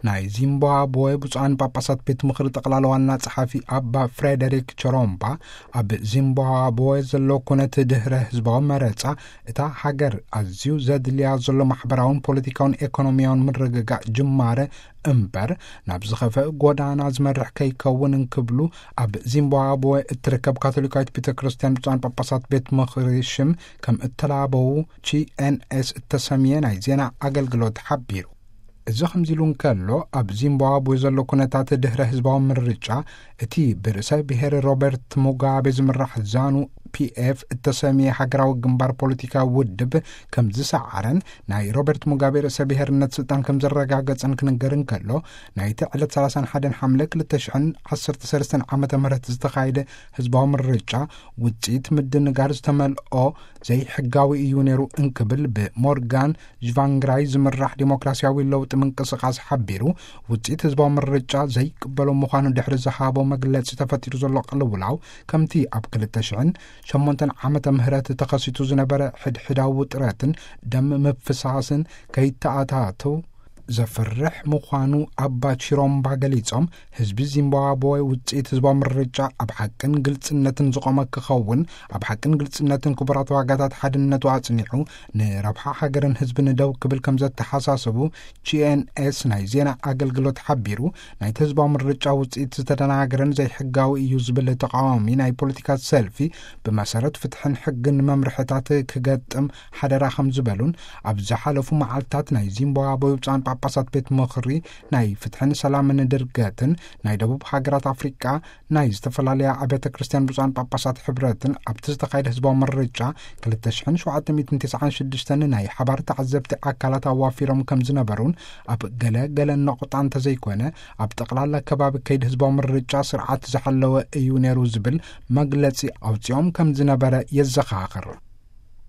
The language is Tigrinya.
ናይ ዚምባብወ ብፁዓን ጳጳሳት ቤት ምኽሪ ጠቕላላ ዋና ጸሓፊ ኣባ ፍሬደሪክ ቸሮምባ፣ ኣብ ዚምባብወ ዘሎ ኩነት ድህረ ህዝባዊ መረጻ፣ እታ ሃገር ኣዝዩ ዘድልያ ዘሎ ማሕበራውን ፖለቲካውን ኤኮኖሚያውን ምርግጋእ ጅማረ እምበር፣ ናብ ዝኸፍአ ጎዳና ዝመርሕ ከይከውን እንክብሉ፣ ኣብ ዚምባብወ እትርከብ ካቶሊካዊት ቤተ ክርስቲያን ብፁዓን ጳጳሳት ቤት ምኽሪ ሽም ከም እተላበዉ ጂ ኤን ኤስ እተሰምየ ናይ ዜና ኣገልግሎት ሓቢሩ። እዚ ከምዚ ኢሉ እንከሎ፣ ኣብ ዚምባብዌ ዘሎ ኩነታት ድህረ ህዝባዊ ምርጫ፣ እቲ ብርእሰ ብሔር ሮበርት ሙጋቤ ዝምራሕ ዛኑ ፒ ኤፍ እተሰምየ ሃገራዊ ግንባር ፖለቲካዊ ውድብ ከም ዝሰዓረን፣ ናይ ሮበርት ሙጋቤ ርእሰ ብሔርነት ስልጣን ከም ዘረጋገጸን ክንገር እንከሎ፣ ናይቲ ዕለት ሰላሳን ሓደን ሓምለ ክልተ ሽሕን ዓሰርተ ሰለስተን ዓመተ ምህረት ዝተኻየደ ህዝባዊ ምርጫ ውጽኢት ምድንጋር ዝተመልኦ ዘይሕጋዊ እዩ ነይሩ እንክብል ብሞርጋን ዥቫንግራይ ዝምራሕ ዴሞክራሲያዊ ለውጢ ምንቅስቃስ ሓቢሩ፣ ውጽኢት ህዝባዊ ምርጫ ዘይቅበሎ ምዃኑ ድሕሪ ዝሃቦ መግለጺ ተፈጢሩ ዘሎ ቅልውላው፣ ከምቲ ኣብ ክልተ ሽሕን ሸሞንተን ዓመተ ምህረት ተኸሲቱ ዝነበረ ሕድሕዳዊ ውጥረትን ደም ምፍሳስን ከይተኣታተው ዘፍርሕ ምዃኑ ኣባ ቺሮምባ ገሊጾም፣ ህዝቢ ዚምባብወ ውጽኢት ህዝባዊ ምርጫ ኣብ ሓቅን ግልጽነትን ዝቖመ ክኸውን፣ ኣብ ሓቅን ግልጽነትን ክቡራት ዋጋታት ሓድነቱ ኣጽኒዑ፣ ንረብሓ ሃገርን ህዝብን ደው ክብል ከም ዘተሓሳሰቡ ጂ ኤን ኤስ ናይ ዜና ኣገልግሎት ሓቢሩ። ናይቲ ህዝባዊ ምርጫ ውጽኢት ዝተደናገረን ዘይሕጋዊ እዩ ዝብል ተቃዋሚ ናይ ፖለቲካ ሰልፊ፣ ብመሰረት ፍትሕን ሕግን መምርሕታት ክገጥም ሓደራ ከም ዝበሉን፣ ኣብ ዝሓለፉ መዓልታት ናይ ዚምባብዌ ብፁዓን ጳጳሳት ቤት ምኽሪ ናይ ፍትሕን ሰላምን ድርገትን ናይ ደቡብ ሃገራት ኣፍሪቃ ናይ ዝተፈላለያ ኣብያተ ክርስቲያን ብፁዓን ጳጳሳት ሕብረትን ኣብቲ ዝተኻየደ ህዝባዊ ምርጫ ክልተ ሽሕን ሸውዓተ ሚእትን ተስዓን ሽዱሽተን ናይ ሓባር ተዓዘብቲ ኣካላት ኣዋፊሮም ከም ዝነበሩን፣ ኣብ ገለ ገለ ነቑጣ እንተዘይኮነ ኣብ ጠቕላላ ከባቢ ከይዲ ህዝባዊ ምርጫ ስርዓት ዝሓለወ እዩ ነይሩ ዝብል መግለጺ ኣውጺኦም ከም ዝነበረ የዘኻኽር።